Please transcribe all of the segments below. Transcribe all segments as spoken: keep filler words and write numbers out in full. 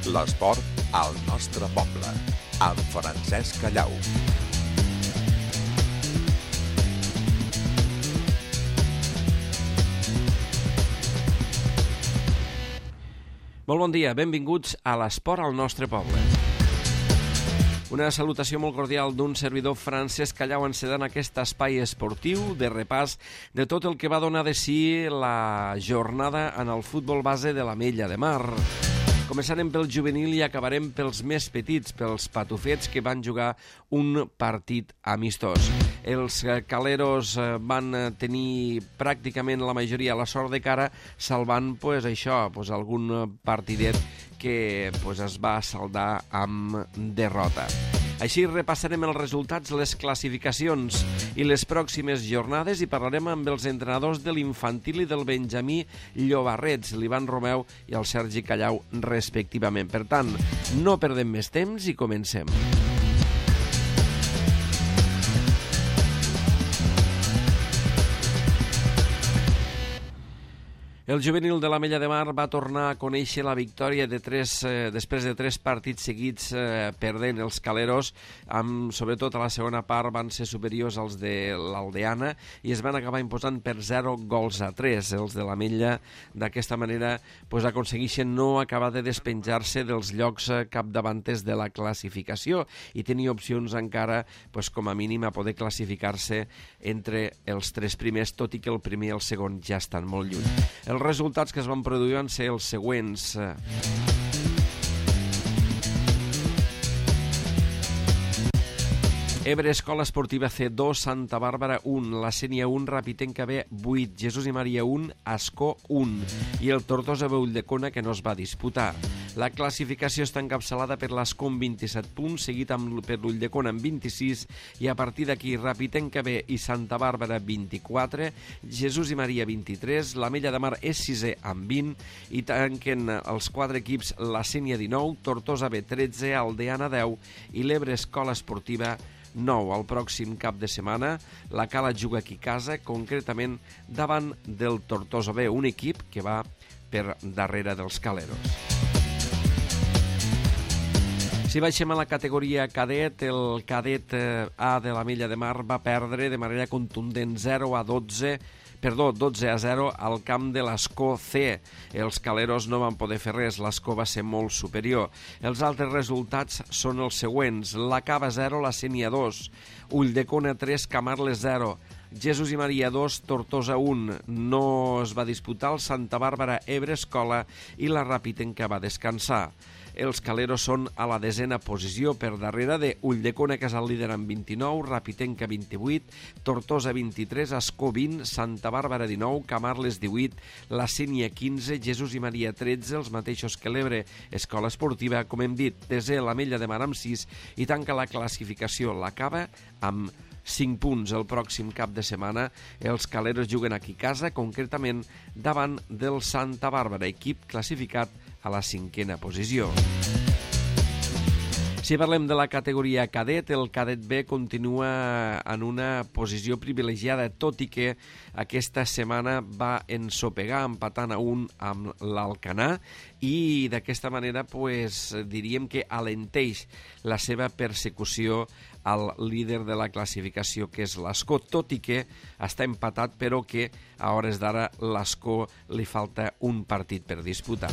L'esport al nostre poble, amb Francesc Callau. Molt bon dia, benvinguts a l'esport al nostre poble. Una salutació molt cordial d'un servidor Francesc Callau encedant aquest espai esportiu de repàs de tot el que va donar de si la jornada en el futbol base de l'Ametlla de Mar. Començarem pel juvenil i acabarem pels més petits, pels patufets que van jugar un partit amistós. Els caleros van tenir pràcticament la majoria la sort de cara, salvant pues, això, pues, algun partidet que pues, es va saldar amb derrota. Així repassarem els resultats, les classificacions i les pròximes jornades i parlarem amb els entrenadors de l'infantil i del Benjamí Llobarrets, l'Ivan Romeu i el Sergi Callau, respectivament. Per tant, no perdem més temps i comencem. El juvenil de l'Ametlla de Mar va tornar a conèixer la victòria de tres, eh, després de tres partits seguits eh, perdent els caleros, amb, sobretot a la segona part van ser superiors als de l'Aldeana i es van acabar imposant per zero gols a tres. Els de l'Ametlla d'aquesta manera pues, aconsegueixen no acabar de despenjar-se dels llocs eh, capdavanters de la classificació i tenir opcions encara pues, com a mínim a poder classificar-se entre els tres primers, tot i que el primer i el segon ja estan molt lluny. El Els resultats que es van produir van ser els següents. Ebre Escola Esportiva C dos, Santa Bàrbara un, la Sénia un, Rapitenca B vuit, Jesús i Maria un, Ascó un i el Tortosa B Ulldecona que no es va disputar. La classificació està encapçalada per l'Ascó amb vint-i-set punts, seguit amb, per l'Ulldecona amb vint-i-sis i a partir d'aquí Rapitenca B i Santa Bàrbara vint-i-quatre, Jesús i Maria vint-i-tres, l'Ametlla de Mar és sisè amb vint i tanquen els quatre equips la Sénia dinou, Tortosa B tretze, Aldeana deu i l'Ebre Escola Esportiva nou. El pròxim cap de setmana la Cala juga aquí a casa, concretament davant del Tortosa B, un equip que va per darrere dels caleros. Si baixem a la categoria cadet, el cadet A de l'Ametlla de Mar va perdre de manera contundent zero a dotze, perdó, dotze a zero al camp de l'Ascó C. Els caleros no van poder fer res, l'Ascó va ser molt superior. Els altres resultats són els següents: la Cava zero, la Sénia dos, Ulldecona tres, Camarles zero, Jesús i Maria dos, Tortosa un, no es va disputar el Santa Bàrbara Ebre Escola i la Rapitenca va descansar. Els caleros són a la desena posició per darrere de Ulldecona, que és el líder amb vint-i-nou, Rapitenca vint-i-vuit, Tortosa vint-i-tres, Ascó vint, Santa Bàrbara dinou, Camarles divuit, la Sénia quinze, Jesús i Maria tretze, els mateixos que l'Ebre Escola Esportiva, com hem dit, desè l'Ametlla de Mar amb sis i tanca la classificació l'Acaba amb cinc punts. El pròxim cap de setmana els caleros juguen aquí a casa, concretament davant del Santa Bàrbara, equip classificat a la cinquena posició. Si parlem de la categoria cadet, el cadet B continua en una posició privilegiada, tot i que aquesta setmana va ensopegar empatant a un amb l'Alcanar i d'aquesta manera pues, diríem que alenteix la seva persecució al líder de la classificació, que és l'Ascó, tot i que està empatat, però que a hores d'ara l'Ascó li falta un partit per disputar.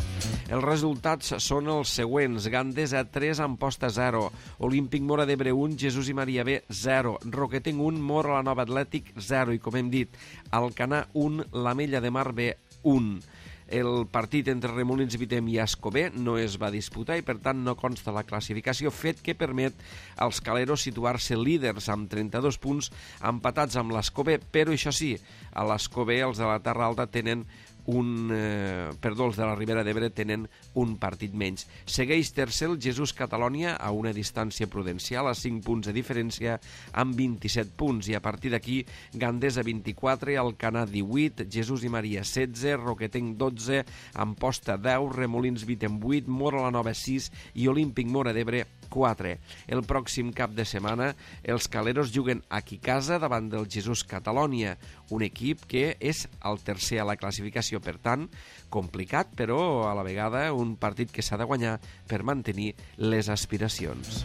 Els resultats són els següents: Gandesa tres, Amposta zero, Olímpic Móra d'Ebre un, Jesús i Maria B zero, Roquetenc un, Móra la Nova Atlètic zero i, com hem dit, Alcanar un, l'Ametlla de Mar B un. El partit entre Remolins, Vitem i Ascó B no es va disputar i per tant no consta la classificació, fet que permet als caleros situar-se líders amb trenta-dos punts empatats amb l'Ascó B, però això sí, a l'Ascó B els de la Terra Alta tenen un, eh, perdó, els de la Ribera d'Ebre tenen un partit menys. Segueix tercer el Jesús Catalònia a una distància prudencial, a cinc punts de diferència, amb vint-i-set punts, i a partir d'aquí Gandesa vint-i-quatre, Alcanar divuit, Jesús i Maria setze, Roquetenc dotze, Amposta deu, Remolins Vitem vuit, Móra la Nova sis i Olímpic Móra d'Ebre quatre. El pròxim cap de setmana els caleros juguen aquí a casa davant del Jesús Catalònia, un equip que és el tercer a la classificació, per tant, complicat, però a la vegada un partit que s'ha de guanyar per mantenir les aspiracions.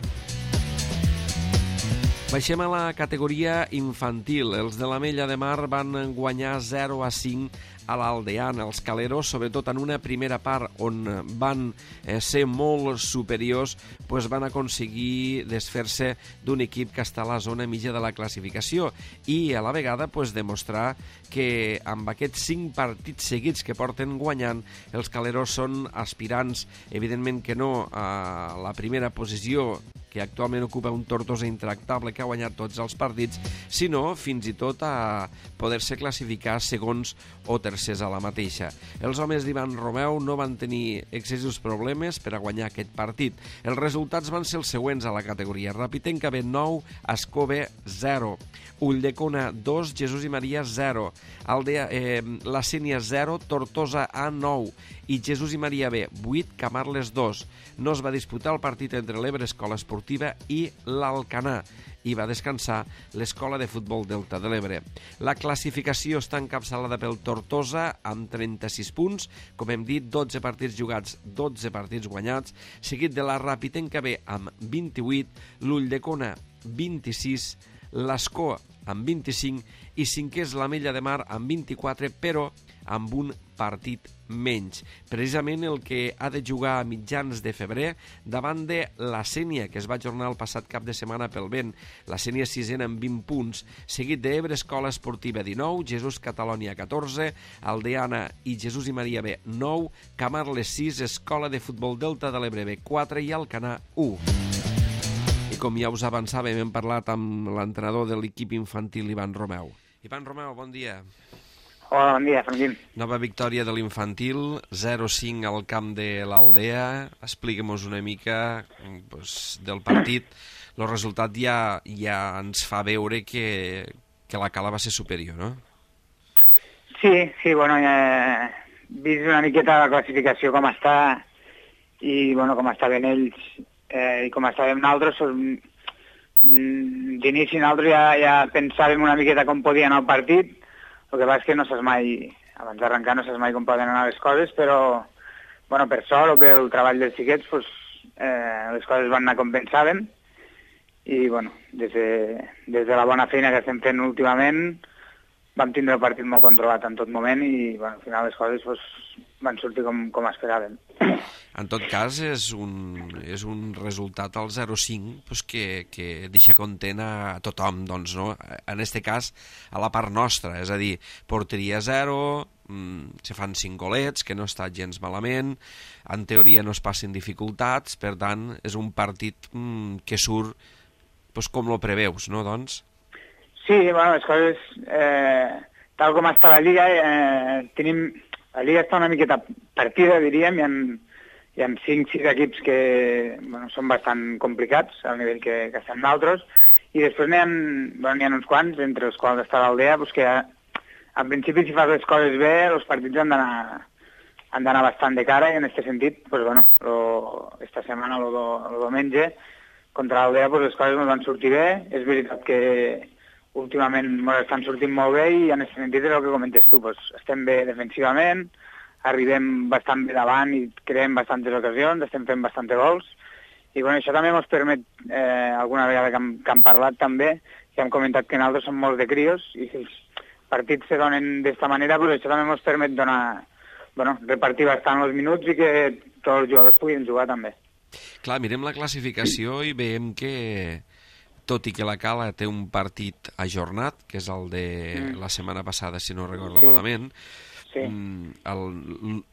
Baixem a la categoria infantil. Els de l'Ametlla de Mar van guanyar zero a cinc a l'Aldeana. Els caleros, sobretot en una primera part on van eh, ser molt superiors, pues van aconseguir desfer-se d'un equip que està a la zona mitja de la classificació i a la vegada pues, demostrar que amb aquests cinc partits seguits que porten guanyant, els caleros són aspirants, evidentment que no a la primera posició que actualment ocupa un Tortosa intractable que ha guanyat tots els partits, sinó fins i tot a poder-se classificar segons o tercers a la mateixa. Els homes d'Ivan Romeu no van tenir excessius problemes per a guanyar aquest partit. Els resultats van ser els següents a la categoria. Rapitenca B nou, Ascove zero, Ulldecona dos, Jesús i Maria zero, Aldea, eh, la Sénia zero, Tortosa A nou i Jesús i Maria B vuit, Camarles dos. No es va disputar el partit entre l'Ebre Escola Esportiva i l'Alcanar i va descansar l'Escola de Futbol Delta de l'Ebre. La classificació està encapçalada pel Tortosa amb trenta-sis punts, com hem dit, dotze partits jugats, dotze partits guanyats, seguit de la Rapitenca B amb vint-i-vuit, l'Ulldecona vint-i-sis, l'Ascó amb vint-i-cinc i cinquè és l'Ametlla de Mar amb vint-i-quatre, però amb un partit menys. Precisament el que ha de jugar a mitjans de febrer davant de la Sénia, que es va ajornar el passat cap de setmana pel vent. La Sénia sisena amb vint punts, seguit d'Ebre Escola Esportiva dinou, Jesús Catalònia catorze, Aldeana i Jesús i Maria B nou, Camarles sis, Escola de Futbol Delta de l'Ebre B quatre i Alcanar u. I com ja us avançàvem, hem parlat amb l'entrenador de l'equip infantil, Ivan Romeu. Ivan Romeu, bon dia. Hola, bon dia, Franquín. Nova victòria de l'infantil, zero cinc al camp de l'Aldea. Expliquem-nos una mica pues, del partit. El resultat ja, ja ens fa veure que, que la Cala va ser superior, no? Sí, sí, bueno, ja he vist una miqueta la classificació com està i, bueno, com estaven ells eh, i com estàvem nosaltres. D'inici nosaltres ja, ja pensàvem una miqueta com podia anar el partit. El que passa és que no saps mai, abans d'arrencar no saps mai com poden anar les coses, però, bueno, per sort o pel treball dels xiquets, pues, eh, les coses van anar com pensàvem i, bueno, des de, des de la bona feina que estem fent últimament vam tindre el partit molt controlat en tot moment i, bueno, al final les coses pues, van sortir com, com esperàvem. En tot cas, és un, és un resultat al zero cinc pues, que, que deixa content a tothom, doncs, no? En aquest cas, a la part nostra, és a dir, porteria zero, mmm, se fan cinc golets, que no està gens malament, en teoria no es passen dificultats, per tant, és un partit mmm, que surt pues, com lo preveus, no, doncs? Sí, bueno, les coses, eh, tal com està la Lliga, eh, tenim... La Lliga està una miqueta partida, diríem, hi ha, hi ha cinc sis equips que bueno, són bastant complicats al nivell que, que estem nosaltres, i després n'hi ha, bueno, n'hi ha uns quants, entre els quals està l'Aldea, pues que en principi si fas les coses bé, els partits han d'anar han d'anar bastant de cara, i en aquest sentit, pues, bueno, lo, esta setmana, el diumenge, contra l'Aldea, pues, les coses no van sortir bé. És veritat que últimament ens estan sortint molt bé i en aquest sentit és el que comentes tu, pues, estem bé defensivament, arribem bastant bé davant i creem bastantes ocasions, estem fent bastants gols i bueno, això també ens permet, eh, alguna vegada que hem, que hem parlat també, que hem comentat que nosaltres som molts de crios i si els partits se donen d'esta manera, pues, això també ens permet donar, bueno, repartir bastant els minuts i que tots els jugadors puguin jugar també. Clar, mirem la classificació i veiem que tot i que la Cala té un partit ajornat, que és el de mm. la setmana passada, si no recordo sí. malament, sí.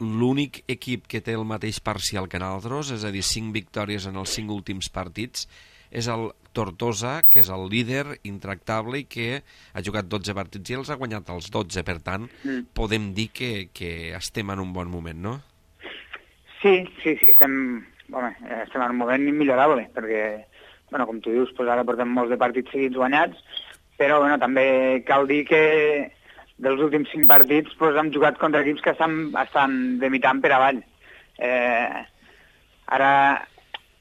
l'únic equip que té el mateix parcial que nosaltres, és a dir, cinc victòries en els cinc últims partits, és el Tortosa, que és el líder intractable i que ha jugat dotze partits i els ha guanyat els dotze, per tant, mm. podem dir que, que estem en un bon moment, no? Sí, sí, sí, estem, bueno, estem en un moment immillorable, perquè bueno, com tu dius, pues ara portem molts de partits seguits guanyats, però bueno, també cal dir que dels últims cinc partits pues, hem jugat contra equips que estan, estan de mitjan per avall. Eh, ara,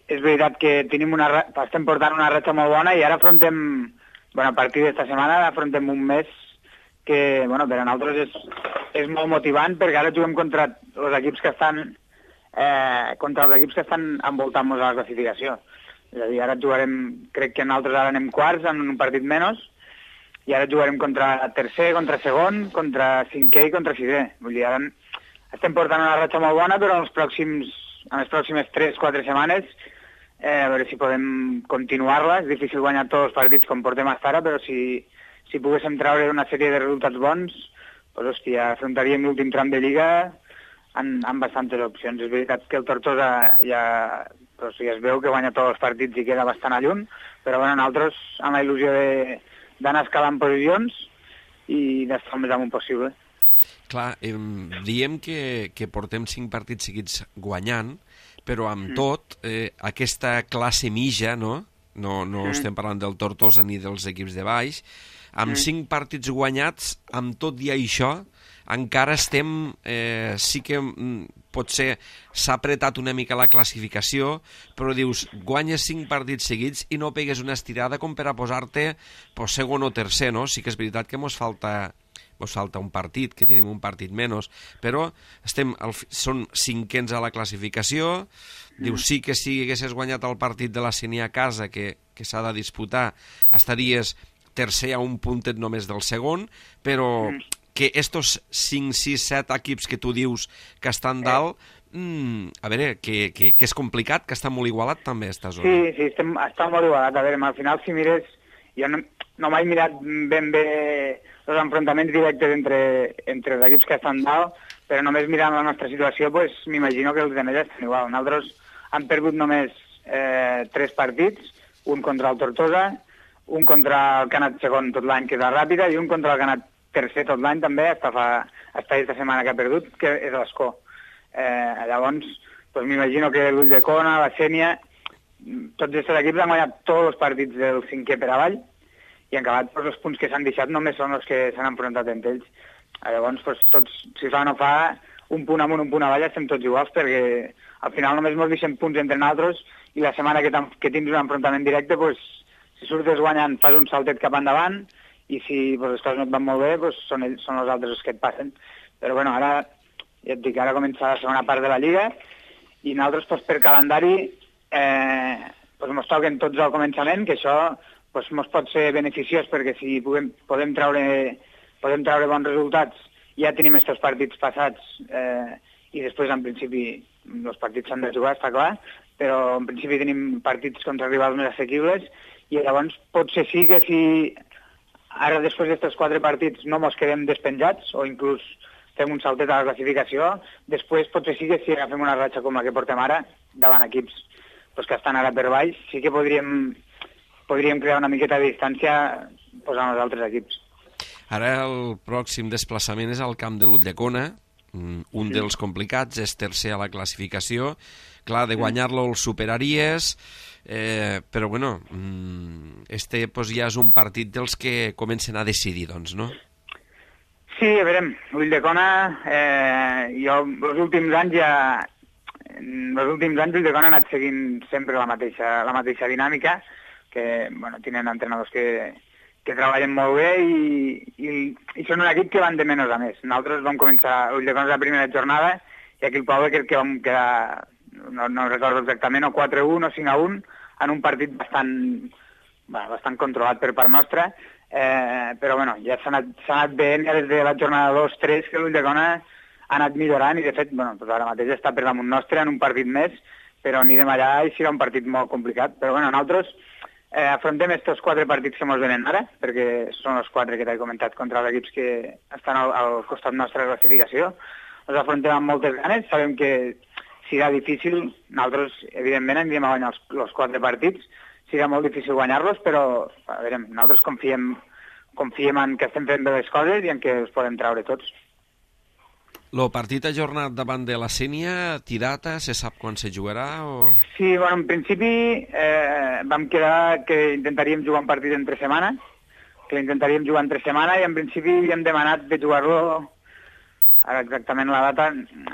és veritat que tenim una, estem portant una ratxa molt bona i ara afrontem, bueno, a partir d'esta setmana afrontem un mes que, bueno, per a nosaltres és, és molt motivant perquè ara juguem contra els equips que estan eh, contra els equips que estan envoltant-nos a la classificació. És a dir, ara jugarem, crec que nosaltres ara anem quarts en un partit menys, i ara jugarem contra tercer, contra segon, contra cinquè i contra sisè. Vull dir, ara estem portant una ratxa molt bona, però en, els pròxims, en les pròximes tres quatre setmanes eh, a veure si podem continuar-la. És difícil guanyar tots els partits com portem fins ara, però si, si poguéssim treure una sèrie de resultats bons, doncs, hòstia, afrontaríem l'últim tram de Lliga amb, amb bastantes opcions. És veritat que el Tortosa ja, doncs, ja es veu que guanya tots els partits i queda bastant a lluny, però bueno, nosaltres amb la il·lusió de d'anar escalant posicions i d'estar el més amunt possible. Clar, eh, diem que, que portem cinc partits seguits guanyant, però amb mm. tot, eh, aquesta classe mitja, no? No, no mm. estem parlant del Tortosa ni dels equips de baix, amb mm. cinc partits guanyats, amb tot i això, encara estem, eh, sí que mm, potser s'ha apretat una mica la classificació, però dius, guanyes cinc partits seguits i no pegues una estirada com per a posar-te pues, segon o tercer, no? Sí que és veritat que mos falta, mos falta un partit, que tenim un partit menys, però estem al, són cinquens a la classificació, mm. dius, sí que si haguessis guanyat el partit de la Sénia a casa, que, que s'ha de disputar, estaries tercer a un puntet només del segon, però mm. que estos cinc, sis, set equips que tu dius que estan dalt, mm, a veure, que, que, que és complicat, que està molt igualat també esta zona. Sí, sí, estem, està molt igualat. A veure, al final, si mires, jo no, no m'he mirat ben bé els enfrontaments directes entre, entre els equips que estan dalt, però només mirant la nostra situació, pues, m'imagino que els demés estan igual. Nosaltres hem perdut només eh, tres partits, un contra el Tortosa, un contra el que ha anat segon tot l'any, que és la Ràpida, i un contra el que ha anat tercer tot l'any també, està fa està aquesta setmana que ha perdut, que és l'Escó. Eh, llavors, doncs m'imagino que l'Ull de Cona, la Sénia, tots aquests equips han guanyat tots els partits del cinquè per avall i han acabat, doncs, els punts que s'han deixat només són els que s'han enfrontat entre ells. Llavors, doncs, tots, si fa o no fa, un punt amunt, un punt avall, estem tots iguals, perquè al final només ens deixem punts entre nosaltres i la setmana que, que tens un enfrontament directe, doncs, si surtes guanyant, fas un saltet cap endavant, i si pues, les coses no et van molt bé, pues, són, ells, són els altres els que et passen. Però bueno, ara, ja et dic, ara comença la segona part de la Lliga i nosaltres pues, per calendari eh, pues, mos toquen tots al començament, que això pues, mos pot ser beneficiós perquè si podem, podem, treure, podem treure bons resultats ja tenim aquests partits passats eh, i després en principi els partits s'han de jugar, està clar, però en principi tenim partits contra rivals més assequibles i llavors potser sí que si ara, després d'aquests quatre partits, no mos quedem despenjats o inclús fem un saltet a la classificació. Després, potser sí que si agafem una ratxa com la que portem ara, davant equips pues, que estan ara per baix, sí que podríem, podríem crear una miqueta de distància pues, amb els altres equips. Ara el pròxim desplaçament és al camp de l'Ulldecona, un sí. dels complicats, és tercer a la classificació. Clar, de guanyar-lo el superaries... Eh, però bueno, este pues, ja és un partit dels que comencen a decidir, doncs, no? Sí, a veure, Ulldecona, eh, jo els últims anys ja, els últims anys Ulldecona ha anat seguint sempre la mateixa, la mateixa dinàmica, que, bueno, tenen entrenadors que, que treballen molt bé i, i, i són un equip que van de menys a més. Nosaltres vam començar, Ulldecona la primera jornada, i aquí el poble crec que vam quedar, no, no recordo exactament, o quatre a un o cinc a un, en un partit bastant, bueno, bastant controlat per part nostra, eh, però bueno, ja s'ha anat, anat bé des de la jornada dos tres que l'Ulldecona ha anat millorant i de fet, bueno, doncs ara mateix està per damunt nostre en un partit més, però anirem allà i serà un partit molt complicat. Però bueno, nosaltres eh, afrontem aquests quatre partits que ens venen ara, perquè són els quatre que t'he comentat contra els equips que estan al, al costat nostre de la classificació. Els afrontem amb moltes ganes, sabem que serà difícil, nosaltres evidentment anirem a guanyar els, els quatre partits, serà molt difícil guanyar-los, però a veure, nosaltres confiem, confiem en que estem fent bé les coses i en que els podem treure tots. El partit ajornat davant de la Sénia, té data, se sap quan se jugarà? O... Sí, bueno, en principi eh, vam quedar que intentaríem jugar un partit entre setmana, que l'intentaríem jugar entre setmana i en principi havíem demanat de jugar-lo. Ara exactament la data,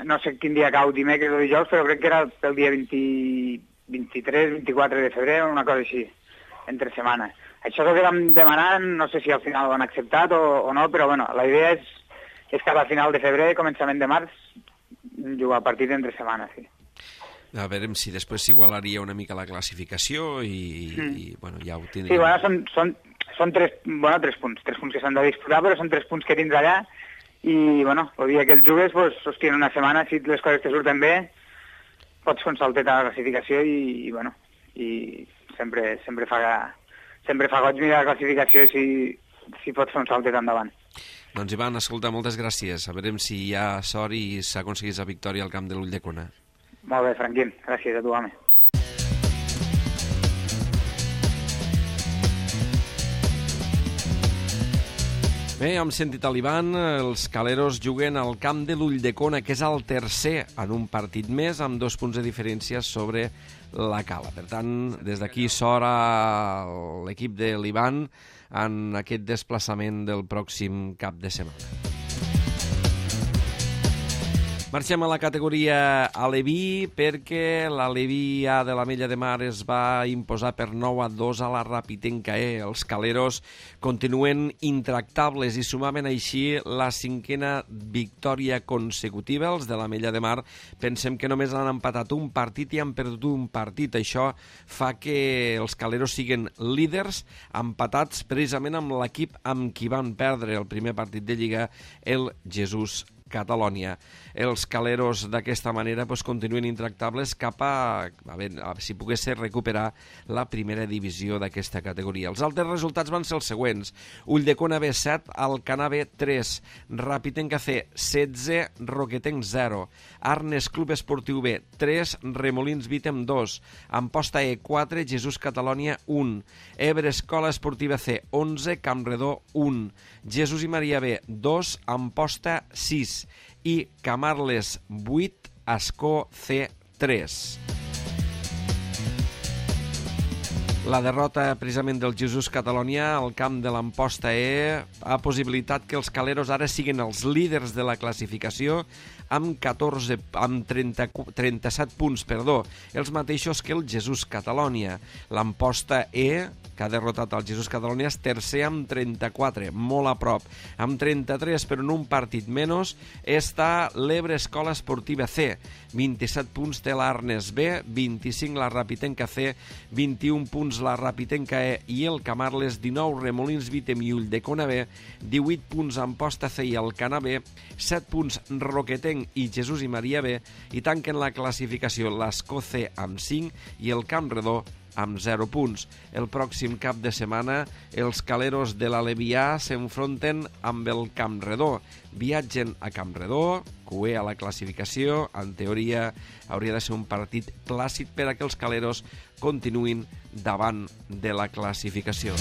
no sé quin dia cau, dimecres o dijous, però crec que era pel dia vint, vint-i-tres vint-i-quatre de febrer, una cosa així, entre setmana. Això és el que vam demanar, no sé si al final ho han acceptat o, o no, però bueno, la idea és, és cap a final de febrer, començament de març, jugar partit entre setmana, sí. A veure si després s'igualaria una mica la classificació i, mm. i bueno, ja ho tindríem. Sí, bueno, són, són, són tres, bueno, tres punts, tres punts que s'han de disputar, però són tres punts que tens allà i, bueno, el dia que els jugues, pues, hòstia, en una setmana, si les coses te surten bé, pots fer un saltet a la classificació i, i bueno, i sempre, sempre, fa, sempre fa goig mirar la classificació si, si pots fer un saltet endavant. Doncs Ivan, escolta, moltes gràcies. A veure si hi ha sort i s'aconseguís la victòria al camp de l'Ulldecona. Molt bé, Franquín. Gràcies a tu, home. Bé, hem sentit a l'Ivan, els caleros juguen al camp de l'Ulldecona, que és el tercer en un partit més, amb dos punts de diferència sobre la Cala. Per tant, des d'aquí sort a l'equip de l'Ivan en aquest desplaçament del pròxim cap de setmana. Marxem a la categoria Aleví perquè l'Aleví A de l'Ametlla de Mar es va imposar per nou a dos a la Rapitenca E. Els caleros continuen intractables i sumaven així la cinquena victòria consecutiva. Els de l'Ametlla de Mar pensem que només han empatat un partit i han perdut un partit. Això fa que els caleros siguin líders empatats precisament amb l'equip amb qui van perdre el primer partit de Lliga, el Jesús Catalònia. Els caleros d'aquesta manera pues, continuen intractables cap a, a, veure, a si pogués ser recuperar la primera divisió d'aquesta categoria. Els altres resultats van ser els següents. Ulldecona B set, Alcanar B tres, Rapitenca C setze, Roquetenc zero, Arnes Club Esportiu B tres, Remolins Vítem dos, Amposta E quatre, Jesús Catalònia un, Ebre Escola Esportiva C onze, Campredó un, Jesús i Maria B dos, Amposta sis i Camarles vuit, Ascó C tres. La derrota precisament del Jesús Catalònia al camp de l'Amposta E ha possibilitat que els caleros ara siguin els líders de la classificació amb catorze, amb trenta, trenta-set punts, perdó, els mateixos que el Jesús Catalònia. L'Amposta E, que ha derrotat el Jesús Catalònia, és tercer amb trenta-quatre, molt a prop. Amb trenta-tres, però en un partit menys, està l'Ebre Escola Esportiva C. vint-i-set punts té l'Arnes B, vint-i-cinc la Rapitenca C, vint-i-un punts la Rapitenca E i el Camarles, dinou Remolins Vítem i Ulldecona B, divuit punts Amposta C i Alcanar B, set punts Roquetenc i Jesús i Maria B, i tanquen la classificació l'Ascó C amb cinc i el Campredó amb zero punts. El pròxim cap de setmana els caleros de l'Alevià s'enfronten amb el Campredó. Viatgen a Campredó, cué a la classificació. En teoria hauria de ser un partit plàcid per a que els caleros continuïn davant de la classificació.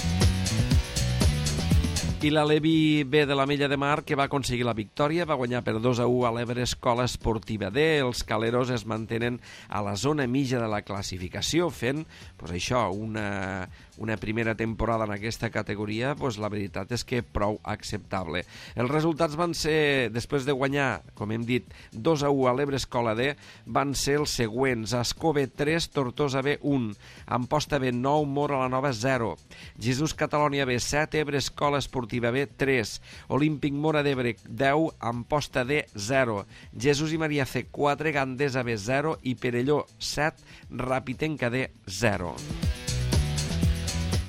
I l'Alevi B de l'Ametlla de Mar, que va aconseguir la victòria, va guanyar per dos a u a l'Ebre Escola Esportiva D. Els caleros es mantenen a la zona mitja de la classificació, fent pues, això, una, una primera temporada en aquesta categoria, pues, la veritat és que prou acceptable. Els resultats van ser, després de guanyar, com hem dit, dos a u a l'Ebre Escola D, van ser els següents: Ascó B tres, Tortosa B un, Amposta B nou, Mora la Nova zero, Jesús Catalònia B set, Ebre Escola Esportiva B tres, Olímpic Mora d'Ebre deu, Amposta D zero, Jesús i Maria C quatre, Gandesa B zero i Perelló set, Rapitenca D zero.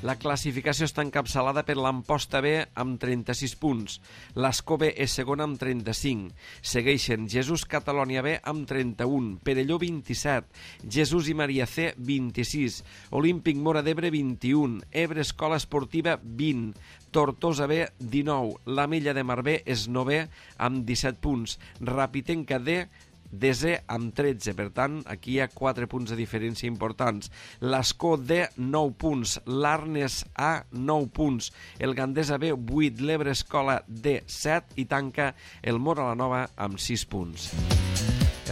La classificació està encapçalada per l'Amposta B amb trenta-sis punts, l'Ascó B és segona amb trenta-cinc, segueixen Jesús Catalònia B amb trenta-un, Perelló vint-i-set, Jesús i Maria C vint-i-sis, Olímpic Mora d'Ebre vint-i-un, Ebre Escola Esportiva vint, Tortosa B dinou, l'Ametlla de Mar B és novè amb disset punts, Rapitenca D desè amb tretze, per tant, aquí hi ha quatre punts de diferència importants. L'Ascó D, nou punts, l'Arnes A, nou punts, el Gandesa B, vuit, l'Ebre Escola D, set, i tanca el Mora la Nova amb sis punts.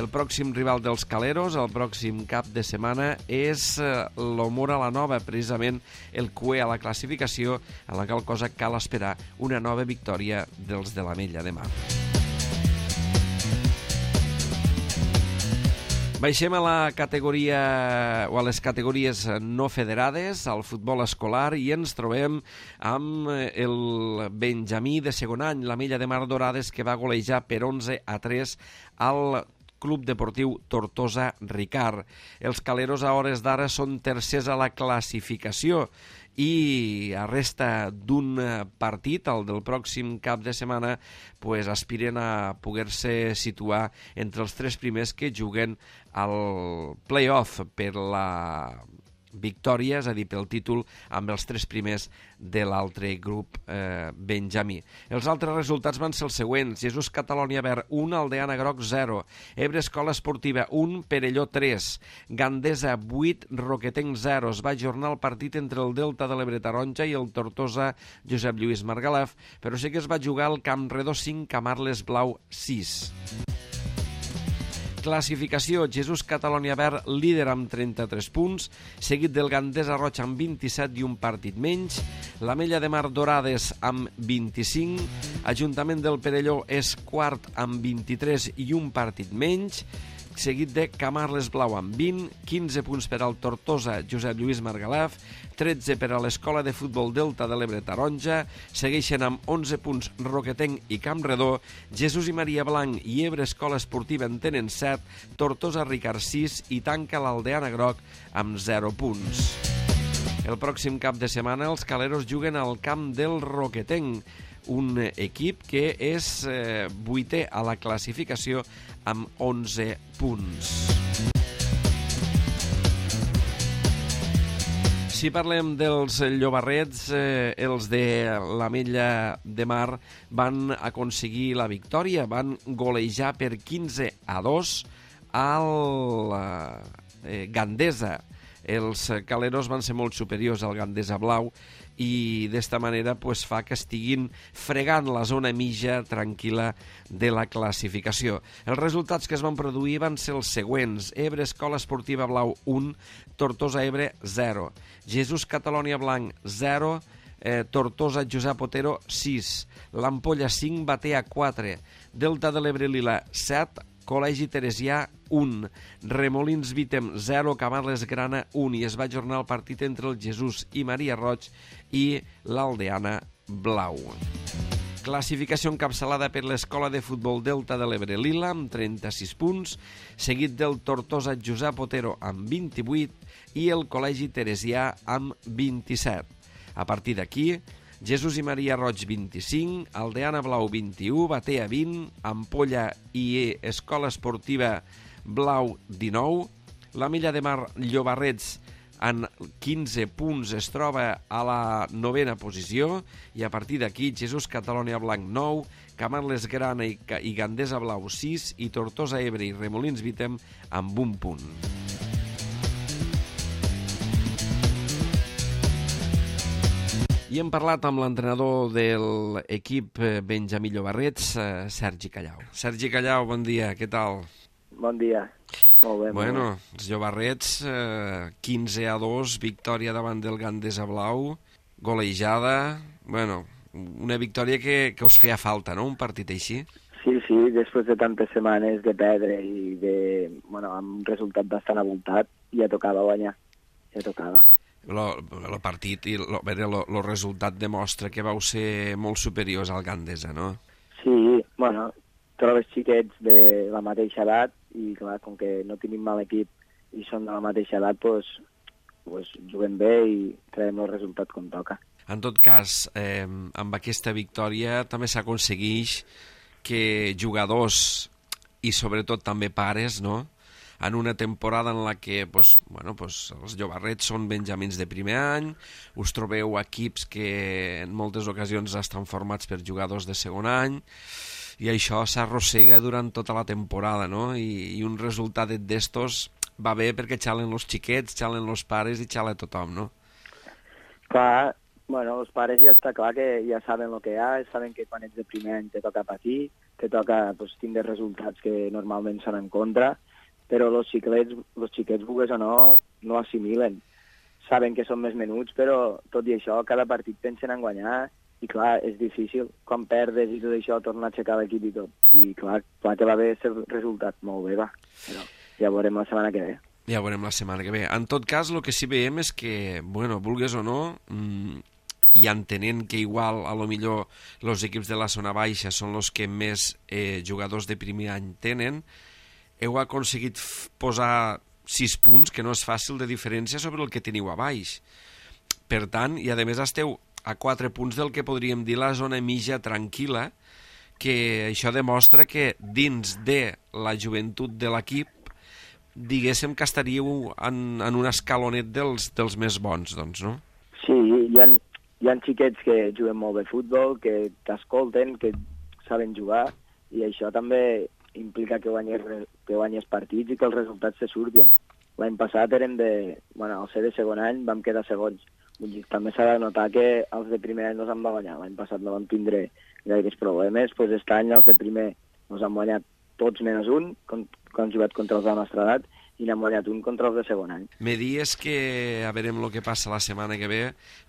El pròxim rival dels caleros, el pròxim cap de setmana, és el Mora la Nova, precisament el cué a la classificació, en la qual cosa cal esperar una nova victòria dels de l'Ametlla de Mar. Baixem a la categoria o a les categories no federades, al futbol escolar, i ens trobem amb el Benjamí de segon any, la Mella de Mar Dorades, que va golejar per onze a tres al Club Deportiu Tortosa Ricard. Els caleros a hores d'ara són tercers a la classificació i a resta d'un partit, el del pròxim cap de setmana, pues aspiren a poder-se situar entre els tres primers que juguen al play-off per la victòria, és a dir, pel títol, amb els tres primers de l'altre grup eh, Benjamí. Els altres resultats van ser els següents: Jesús Catalònia Verd un, Aldeana Groc zero, Ebre Escola Esportiva un, Perelló tres, Gandesa vuit, Roquetenc zero. Es va ajornar el partit entre el Delta de l'Ebre Taronja i el Tortosa Josep Lluís Margalef, però sí que es va jugar al Campredó cinc, Camarles Blau sis. Classificació: Jesús Catalònia Verd líder amb trenta-tres punts, seguit del Gandesa Roig amb vint-i-set i un partit menys, la Mella de Mar Dorades amb vint-i-cinc, Ajuntament del Perelló és quart amb vint-i-tres i un partit menys, seguit de Camarles Blau amb vint, quinze punts per al Tortosa Josep Lluís Margalef, tretze per a l'Escola de Futbol Delta de l'Ebre Taronja, segueixen amb onze punts Roquetenc i Campredó, Jesús i Maria Blanc i Ebre Escola Esportiva en tenen set, Tortosa Ricard sis i tanca l'Aldeana Groc amb zero punts. El pròxim cap de setmana els caleros juguen al camp del Roquetenc, un equip que és eh, vuitè a la classificació amb onze punts. Si parlem dels llobarrets, eh, els de la Mella de Mar van aconseguir la victòria, van golejar per quinze a dos al eh, Gandesa. Els caleros van ser molt superiors al Gandesa Blau i d'esta manera pues, fa que estiguin fregant la zona mitja tranquil·la de la classificació. Els resultats que es van produir van ser els següents: Ebre Escola Esportiva Blau un, Tortosa Ebre zero, Jesús Catalònia Blanc zero, eh, Tortosa Josep Otero sis, l'Ampolla cinc, Batea quatre, Delta de l'Ebre Lila set, Col·legi Teresià un, Remolins Vítem zero, Camarles Grana un, i es va ajornar el partit entre el Jesús i Maria Roig i l'Aldeana Blau. Classificació encapçalada per l'Escola de Futbol Delta de l'Ebre Lila amb trenta-sis punts, seguit del Tortosa Josep Otero amb vint-i-vuit i el Col·legi Teresià amb vint-i-set. A partir d'aquí, Jesús i Maria Roig vint-i-cinc, Aldeana Blau vint-i-u, Batea vint, Ampolla i Escola Esportiva Blau dinou, la Mella de Mar Llobarrets en quinze punts es troba a la novena posició i a partir d'aquí Jesús Catalònia Blanc nou, Camarles Grana i, i Gandesa Blau sis i Tortosa Ebre i Remolins Vítem amb un punt. I hem parlat amb l'entrenador de l'equip Benjamí Llobarrets, Sergi Callau. Sergi Callau, bon dia, què tal? Bon dia, molt bé. Bueno, molt bé. Els Llobarrets, eh, quinze a dos, victòria davant del Gandesa Blau, golejada, bueno, una victòria que, que us feia falta, no?, un partit així? Sí, sí, després de tantes setmanes de perdre i de, bueno, amb un resultat bastant abultat, ja tocava guanyar, ja tocava. El partit i el resultat demostra que vau ser molt superiors al Gandesa, no? Sí, bueno, trobes xiquets de la mateixa edat i, clar, com que no tenim mal equip i són de la mateixa edat, doncs, pues, juguem bé i traiem el resultat com toca. En tot cas, eh, amb aquesta victòria també s'aconsegueix que jugadors i sobretot també pares, no?, en una temporada en la que pues, bueno, pues, els Llobarrets són benjamins de primer any, us trobeu equips que en moltes ocasions estan formats per jugadors de segon any, i això s'arrossega durant tota la temporada, no? I, i un resultat d'estos va bé perquè xalen els xiquets, xalen els pares i xala tothom, no? Clar, bueno, els pares ja està clar que ja saben el que hi ha, saben que quan ets de primer any te toca patir, te toca pues, tindre resultats que normalment són en contra, però els xiquets, els xiquets, vulgues o no, no assimilen. Saben que són més menuts, però tot i això, cada partit pensen en guanyar, i clar, és difícil. Quan perdes i tot això, tornar a aixecar l'equip i tot. I clar, clar que va bé ser resultat, molt bé, va. Però ja veurem la setmana que ve. Ja veurem la setmana que ve. En tot cas, el que sí veiem és que, bueno, vulgues o no, mmm, i entenent que igual, a lo millor, els equips de la zona baixa són els que més eh, jugadors de primer any tenen, heu aconseguit posar sis punts, que no és fàcil de diferència sobre el que teniu a baix. Per tant, i a més esteu a quatre punts del que podríem dir la zona mitja tranquil·la, que això demostra que dins de la joventut de l'equip diguéssim que estaríeu en, en un escalonet dels, dels més bons, doncs, no? Sí, hi ha, hi ha xiquets que juguen molt bé futbol, que t'escolten, que saben jugar, i això també implica que guanyes, que guanyes partits i que els resultats se surtin. L'any passat érem de... Bueno, al ser de segon any vam quedar segons. També s'ha de notar que els de primer any no s'han va guanyar. L'any passat no vam tindre gaires problemes, doncs aquest any els de primer ens han guanyat tots menys un, quan han jugat contra els de la nostra edat, i n'han guanyat un contra els de segon any. Me dies que a veurem el que passa la setmana que ve,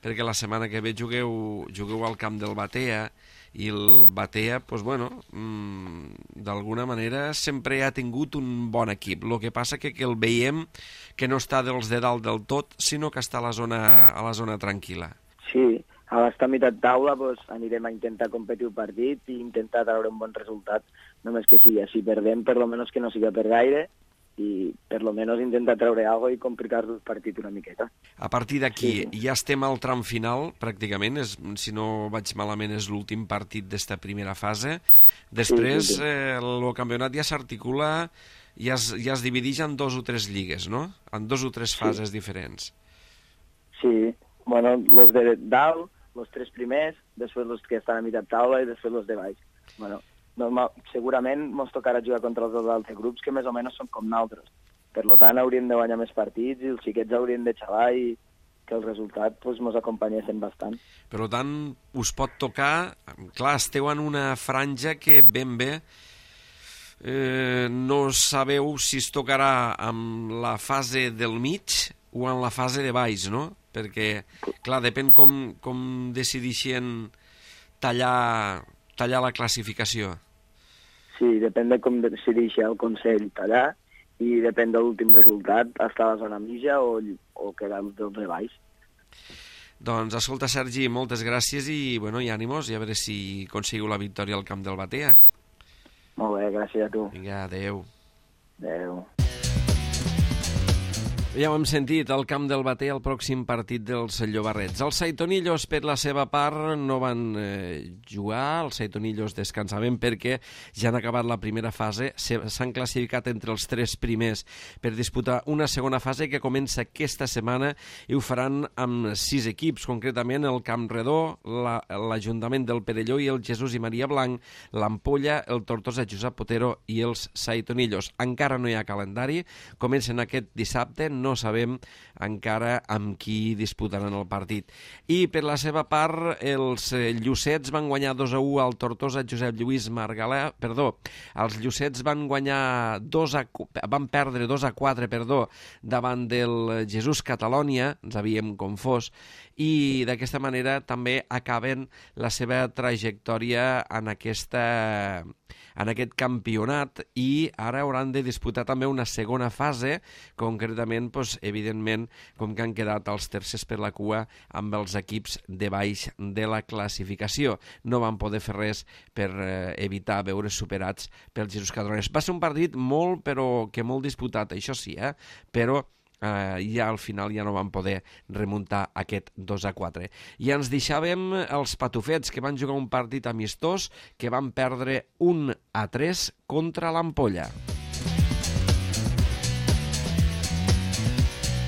perquè la setmana que ve jugueu, jugueu al camp del Batea, i el Batea, doncs, bueno, mmm, d'alguna manera sempre ha tingut un bon equip. El que passa que, que el veiem que no està dels de dalt del tot, sinó que està a la zona, a la zona tranquil·la. Sí, a l'estar a meitat taula doncs, anirem a intentar competir un partit i intentar treure un bon resultat, només que sigui. Si perdem, per lo menos que no siga per gaire, i per lo menos intentar treure alguna cosa i complicar el partit una miqueta. A partir d'aquí, sí. Ja estem al tram final, pràcticament, és, si no vaig malament és l'últim partit d'esta primera fase. Després sí, sí, sí. Eh, el campionat ja s'articula, ja es, ja es divideix en dos o tres lligues, no? En dos o tres fases sí. diferents. Sí, bueno, los de dalt, los tres primers, després los que estan a meitat taula i després los de baix. Bueno, normal, segurament ens tocarà jugar contra els dos altres grups que més o menys són com nosaltres. Per tant, hauríem de guanyar més partits i els xiquets haurien de xavar i que el resultat ens pues, acompanyessin bastant. Per tant, us pot tocar... Clar, esteu en una franja que ben bé eh, no sabeu si es tocarà amb la fase del mig o en la fase de baix, no? Perquè, clar, depèn com, com decideixen tallar... tallar la classificació. Sí, depèn de com decideixi el Consell tallar i depèn de l'últim resultat, estar a la zona mitja o, o quedar dels de baix. Doncs, escolta, Sergi, moltes gràcies i, bueno, i ànimos, i a veure si aconseguiu la victòria al camp del Batea. Molt bé, gràcies a tu. Vinga, adeu. Adeu. Ja ho hem sentit, al camp del Batea el pròxim partit dels Llobarrets. Els Saitonillos, per la seva part, no van eh, jugar. Els Saitonillos descansaven perquè ja han acabat la primera fase. S'han classificat entre els tres primers per disputar una segona fase que comença aquesta setmana i ho faran amb sis equips, concretament el Camp Redó, l'Ajuntament del Perelló i el Jesús i Maria Blanc, l'Ampolla, el Tortosa Josep Potero i els Saitonillos. Encara no hi ha calendari, comencen aquest dissabte, no sabem encara amb qui disputaran el partit. I per la seva part, els Llucets van guanyar dos a u al Tortosa Josep Lluís Margalà, perdó, els Llucets van guanyar dos a, van perdre dos a quatre, perdó, davant del Jesús Catalònia, ens havíem confós, i d'aquesta manera també acaben la seva trajectòria en aquesta en aquest campionat i ara hauran de disputar també una segona fase, concretament, doncs, evidentment, com que han quedat els tercers per la cua amb els equips de baix de la classificació. No van poder fer res per eh, evitar veure superats pels Jesús Catalònia. Va ser un partit molt, però que molt disputat, això sí, eh? però Uh, ja al final ja no van poder remuntar aquest dos a quatre. I ens deixàvem els patufets, que van jugar un partit amistós que van perdre un a tres contra l'Ampolla.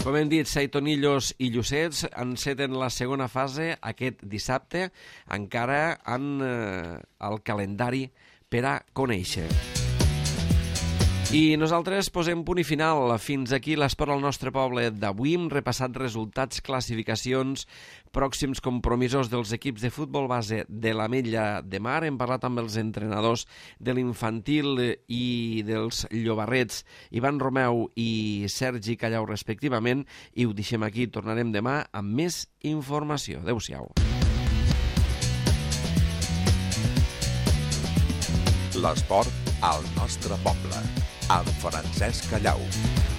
Com hem dit, Saitonillos i Llucets enceten la segona fase aquest dissabte, encara en uh, el calendari per a conèixer. I nosaltres posem punt i final. Fins aquí l'esport al nostre poble d'avui. Hem repassat resultats, classificacions, pròxims compromisos dels equips de futbol base de l'Ametlla de Mar. Hem parlat amb els entrenadors de l'infantil i dels Llobarrets, Ivan Romeu i Sergi Callau, respectivament, i ho deixem aquí. Tornarem demà amb més informació. Adéu-siau. L'esport al nostre poble. amb Francesc Callau.